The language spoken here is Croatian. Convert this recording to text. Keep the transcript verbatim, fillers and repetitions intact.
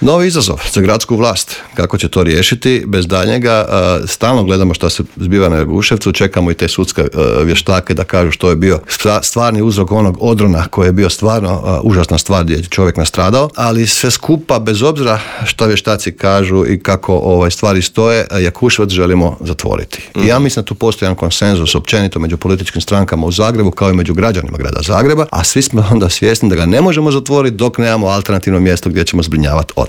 Novi izazov za gradsku vlast. Kako će to riješiti? Bez daljnjega stalno gledamo što se zbiva na Jakuševcu, čekamo i te sudske vještake da kažu što je bio stvarni uzrok onog odrona koji je bio stvarno užasna stvar gdje je čovjek nastradao, ali sve skupa, bez obzira što vještaci kažu i kako ovaj stvari stoje, Jakuševac želimo zatvoriti. Mm. I ja mislim da tu postoji jedan konsenzus općenito među političkim strankama u Zagrebu kao i među građanima grada Zagreba, a svi smo onda svjesni da ga ne možemo zatvoriti dok nemamo alternativno mjesto gdje ćemo zbrinjavati otpad.